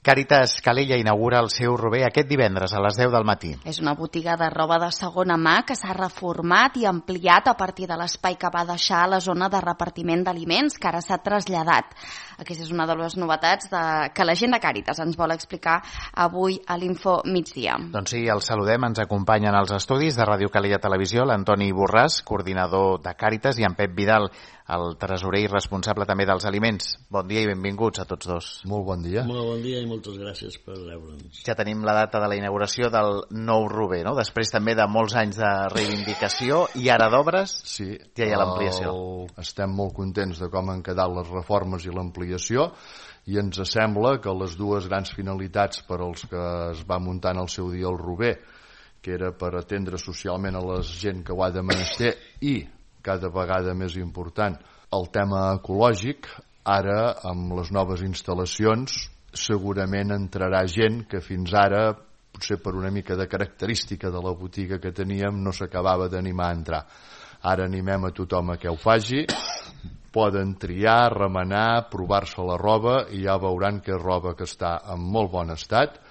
Càritas Calella inaugura el seu Rober aquest divendres a les 10 del matí. És una botiga de roba de segona mà que s'ha reformat i ampliat a partir de l'espai que va deixar a la zona de repartiment d'aliments, que ara s'ha traslladat. Aquesta és una de les novetats que la gent de Càritas ens vol explicar avui a l'Info Migdia. Doncs sí, els saludem. Ens acompanyen als estudis de Ràdio Calella Televisió l'Antoni Borràs, coordinador de Càritas, i en Pep Vidal, el tresorer i responsable també dels aliments. Bon dia i benvinguts a tots dos. Molt bon dia. Molt bon dia i moltes gràcies per reure'ns. Ja tenim la data de la inauguració del nou Rober, no? Després també de molts anys de reivindicació i ara d'obres, sí, ja hi ha l'ampliació. Estem molt contents de com han quedat les reformes i l'ampliació, i ens sembla que les dues grans finalitats per als que es va muntar en el seu dia el Rober, que era per atendre socialment a la gent que ho ha de menester i cada vegada més important el tema ecològic, ara amb les noves instal·lacions segurament entrarà gent que fins ara, potser per una mica de característica de la botiga que teníem, no s'acabava d'animar a entrar. Ara animem a tothom a que ho faci, poden triar, remenar, provar-se la roba i ja veuran que és roba que està en molt bon estat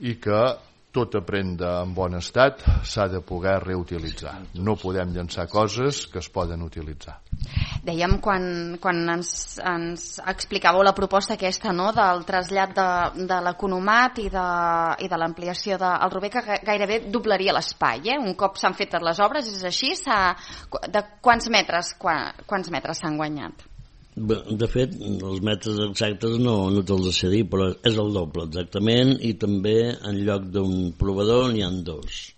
i que tota prenda en bon estat s'ha de poder reutilitzar. No podem llançar coses que es poden utilitzar. Dèiem quan ens explicàveu la proposta aquesta, no?, del trasllat de l'economat i de l'ampliació del Rober, que gairebé doblaria l'espai, Un cop s'han fet les obres, és així? De quants metres s'han guanyat? De fet, els metres exactes no te'ls sé dir, però és el doble exactament, i també en lloc d'un provador n'hi ha dos.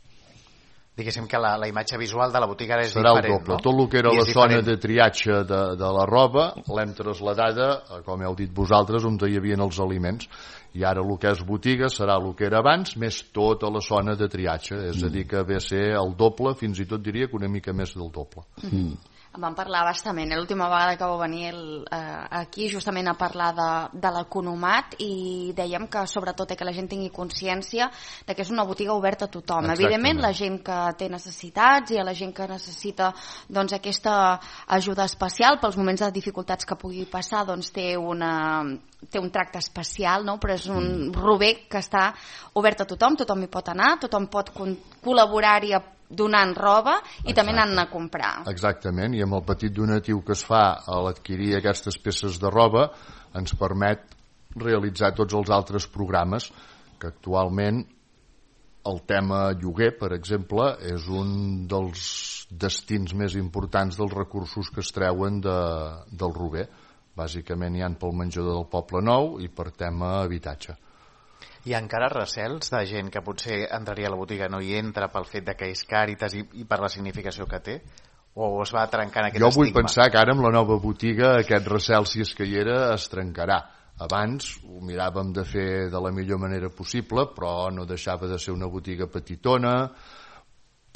Diguéssim que la imatge visual de la botiga és serà diferent, el doble. No? Tot el que era la zona de triatge de la roba l'hem traslladada, com heu dit vosaltres, on hi havia els aliments. I ara el que és botiga serà el que era abans, més tota la zona de triatge. És a dir, que ve a ser el doble, fins i tot diria que una mica més del doble. En vam parlar bastament, l'última vegada que vau venir aquí justament a parlar de l'economat, i dèiem que sobretot que la gent tingui consciència de que és una botiga oberta a tothom. Exactament. Evidentment la gent que té necessitats i a la gent que necessita doncs, aquesta ajuda especial pels moments de dificultats que pugui passar, doncs té un tracte especial, no? Però és un Rober que està obert a tothom hi pot anar, tothom pot col·laborar-hi donant roba i també anant a comprar. Exactament, i amb el petit donatiu que es fa a l'adquirir aquestes peces de roba ens permet realitzar tots els altres programes, que actualment el tema lloguer, per exemple, és un dels destins més importants dels recursos que es treuen del Rober. Bàsicament hi ha pel menjador del Poble Nou i per tema habitatge. Hi ha encara recels de gent que potser entraria a la botiga, no hi entra pel fet de que és Càritas i per la significació que té? O es va trencant aquest estigma? Jo vull pensar que ara amb la nova botiga aquest recel, si és que hi era, es trencarà. Abans ho miràvem de fer de la millor manera possible, però no deixava de ser una botiga petitona,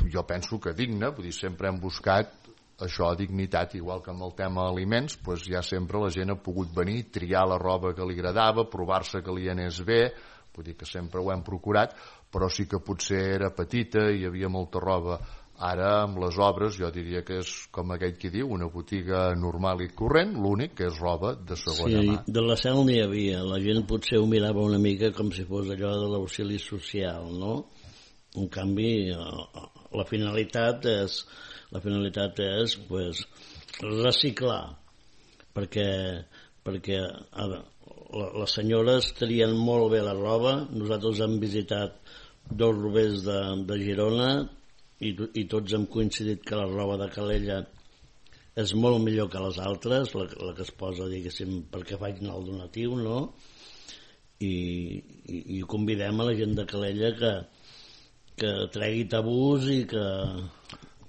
jo penso que digna, vull dir, sempre hem buscat això, dignitat, igual que amb el tema aliments, doncs ja sempre la gent ha pogut venir, triar la roba que li agradava, provar-se que li anés bé, vull dir que sempre ho hem procurat, però sí que potser era petita i hi havia molta roba. Ara, amb les obres, jo diria que és, com aquell qui diu, una botiga normal i corrent, l'únic que és roba de segona mà. Sí, de la cel n'hi havia, la gent potser ho mirava una mica com si fos allò de l'auxili social, no? En canvi, la finalitat és pues, reciclar, perquè les senyores trien molt bé la roba. Nosaltres hem visitat dos Robers de Girona i tots hem coincidit que la roba de Calella és molt millor que les altres, la que es posa, diguéssim, perquè facin el donatiu, no? I convidem a la gent de Calella que tregui tabús i que...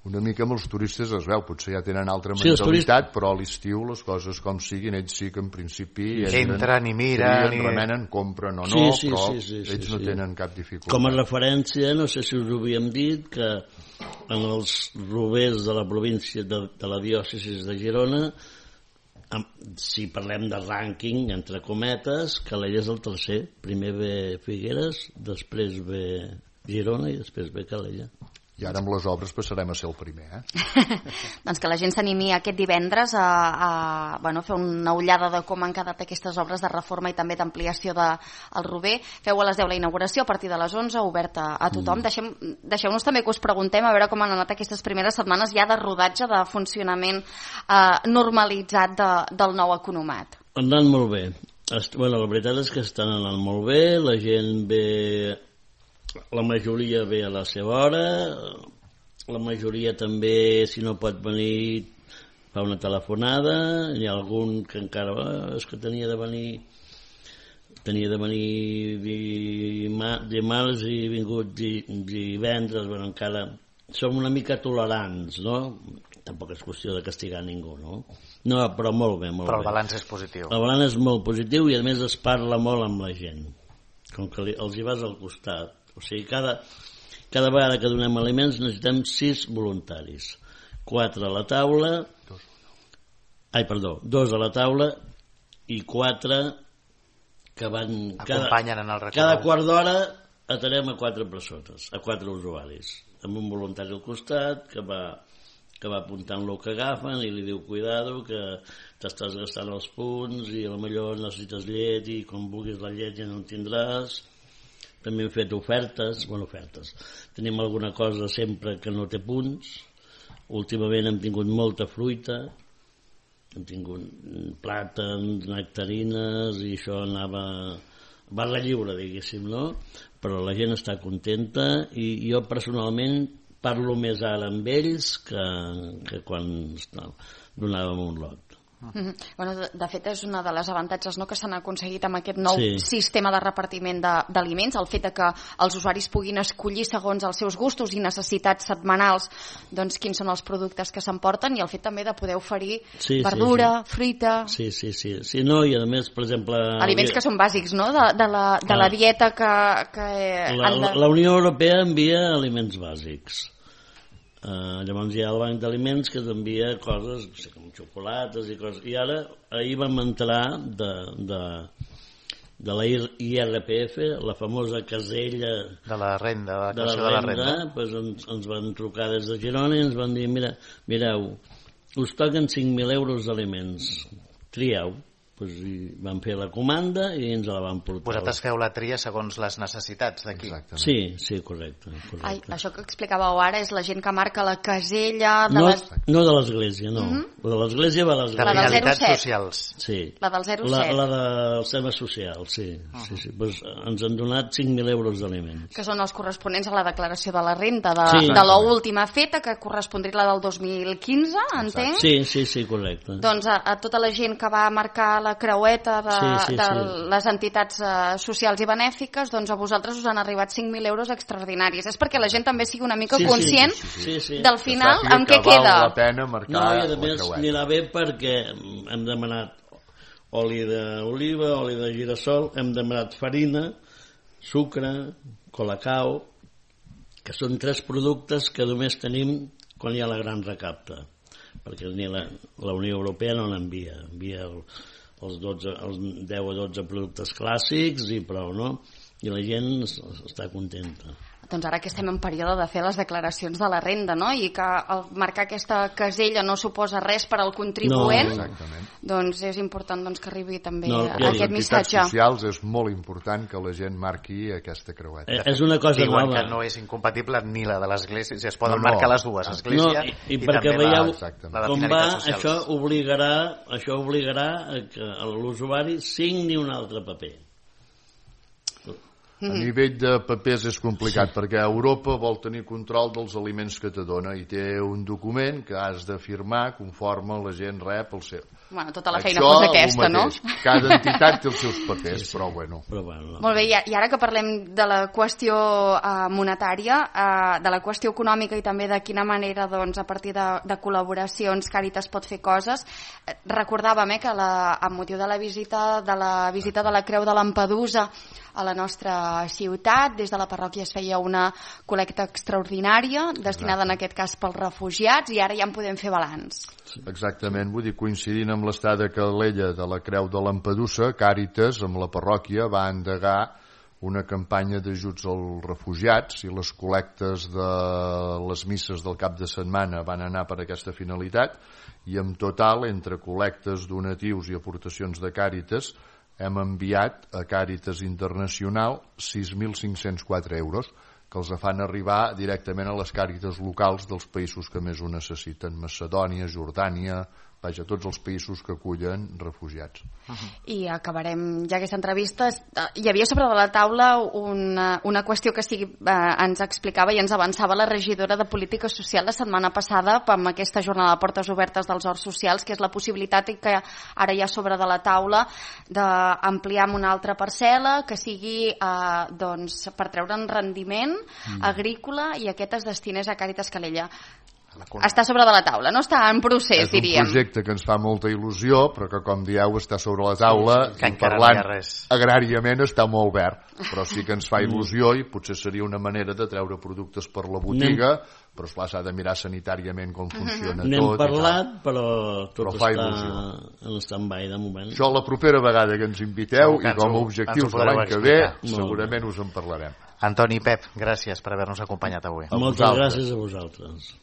Una mica amb els turistes es veu, potser ja tenen altra mentalitat, però a l'estiu les coses com siguin, ells sí que en principi entren i miren, remenen, compren o no, però ells no tenen cap dificultat. Com a referència, no sé si us ho havíem dit, que en els Robers de la província de la diòcesi de Girona, si parlem de rànquing, entre cometes, Calella és el tercer. Primer ve Figueres, després ve Girona i després ve Calella. I ara amb les obres passarem a ser el primer. Doncs que la gent s'animi aquest divendres a fer una ullada de com han quedat aquestes obres de reforma i també d'ampliació del Rober. Feu a les 10 la inauguració, a partir de les 11, oberta a tothom. Deixeu-nos també que us preguntem a veure com han anat aquestes primeres setmanes ja de rodatge, de funcionament normalitzat del nou economat. Han anat molt bé. La veritat és que estan anant molt bé, la gent ve... La majoria ve a la seva hora, la majoria també, si no pot venir, fa una telefonada, hi ha algun que encara és que tenia de venir dimarts i vingut divendres, encara som una mica tolerants, no? Tampoc és qüestió de castigar ningú, no? No, però molt bé, molt bé. Però el balanç és positiu. El balanç és molt positiu i a més es parla molt amb la gent, com que els hi vas al costat. O sigui, cada vegada que donem aliments necessitem 6 voluntaris. 4 a la taula... 2 a la taula i 4 que van... Acompanyen en el recorregut. Cada quart d'hora atenem a 4 persones, a 4 usuaris, amb un voluntari al costat que va apuntant el que agafen i li diu cuidado que t'estàs gastant els punts i potser necessites llet i quan vulguis la llet ja no en tindràs. També hem fet ofertes. Tenim alguna cosa sempre que no té punts. Últimament hem tingut molta fruita, hem tingut plàtans, nectarines i això anava barra lliure, diguéssim, no? Però la gent està contenta i jo personalment parlo més ara amb ells que quan donàvem un lot. De fet és una de les avantatges, no, que s'han aconseguit amb aquest nou sistema de repartiment d'aliments, el fet que els usuaris puguin escollir segons els seus gustos i necessitats setmanals doncs quins són els productes que s'emporten i el fet també de poder oferir verdura, fruita... Sí, no, i a més, per exemple... Aliments que són bàsics, no?, de la dieta que la Unió Europea envia aliments bàsics. Llavors hi ha el banc d'aliments que t'envia coses com xocolates i coses, i ara ahir vam entrar de la IRPF, la famosa casella de la renda, de la renda. Pues ens van trucar des de Girona i ens van dir mireu, us toquen 5.000 euros d'aliments, trieu. I vam fer la comanda i ens la van portar. Vosaltres feu la tria segons les necessitats d'aquí. Sí, correcte. Això que explicàveu ara és la gent que marca la casella de no de l'església, no. La de l'església va a l'església. De finalitats socials. Sí. La del 07. La dels temes socials, sí. Pues ens han donat 5.000 euros d'aliments. Que són els corresponents a la declaració de la renda de l'última feta, que correspondria la del 2015, entenc? Sí, correcte. Doncs a tota la gent que va marcar la creueta de les entitats socials i benèfiques, doncs a vosaltres us han arribat 5.000 euros extraordinaris. És perquè la gent també sigui una mica conscient del final amb què queda. Val la pena marcar i a més anirà bé perquè hem demanat oli d'oliva, oli de girassol, hem demanat farina, sucre, colacao, que són 3 productes que només tenim quan hi ha la gran recapta, perquè la Unió Europea no n'envia, envia els 10 o 12 productes clàssics i prou, no? I la gent està contenta. Doncs ara que estem en període de fer les declaracions de la renda, no? I que marcar aquesta casella no suposa res per al contribuent, doncs és important que arribi també aquest missatge. Les entitats socials és molt important que la gent marqui aquesta creueta. És una cosa nova. Diuen que no és incompatible ni la de l'església, si es poden marcar les dues, església i perquè veieu com va, això obligarà que l'usuari signi un altre paper. A nivell de papers és complicat perquè Europa vol tenir control dels aliments que te dona i té un document que has de firmar conforme la gent rep el seu. Bueno, tota la feina fos aquesta, no? Cada entitat té els seus papers, però bueno. Molt bé, i ara que parlem de la qüestió monetària, de la qüestió econòmica i també de quina manera a partir de col·laboracions Càritas pot fer coses, recordàvem que amb motiu de la visita de la Creu de Lampedusa a la nostra ciutat, des de la parròquia es feia una col·lecta extraordinària destinada en aquest cas pels refugiats i ara ja en podem fer balanç. Exactament, vull dir, coincidint amb l'estada de Calella de la Creu de Lampedusa, Càritas, amb la parròquia, va endegar una campanya d'ajuts als refugiats, i les col·lectes de les misses del cap de setmana van anar per aquesta finalitat, i en total, entre col·lectes, donatius i aportacions de Càritas, hem enviat a Càritas Internacional 6.504 euros, que els fan arribar directament a les Càritas locals dels països que més ho necessiten: Macedònia, Jordània, vaja, tots els països que acullen refugiats. I acabarem ja aquesta entrevista. Hi havia sobre de la taula una qüestió que ens explicava i ens avançava la regidora de Política Social la setmana passada amb aquesta jornada de portes obertes dels horts socials, que és la possibilitat que ara hi ha sobre de la taula d'ampliar amb una altra parcel·la que sigui per treure'n rendiment agrícola i aquest es destinés a Càritas Calella. Està sobre de la taula, no està en procés, diríem. És un projecte que ens fa molta il·lusió, però que, com dieu, està sobre la taula, que i parlant agràriament està molt verd, però sí que ens fa il·lusió i potser seria una manera de treure productes per la botiga, però esclar, s'ha de mirar sanitàriament com funciona tot. N'hem parlat, però tot està en stand-by de moment. Això la propera vegada que ens inviteu i com a objectius de l'any que ve segurament us en parlarem. Antoni i Pep, gràcies per haver-nos acompanyat avui. Moltes gràcies a vosaltres.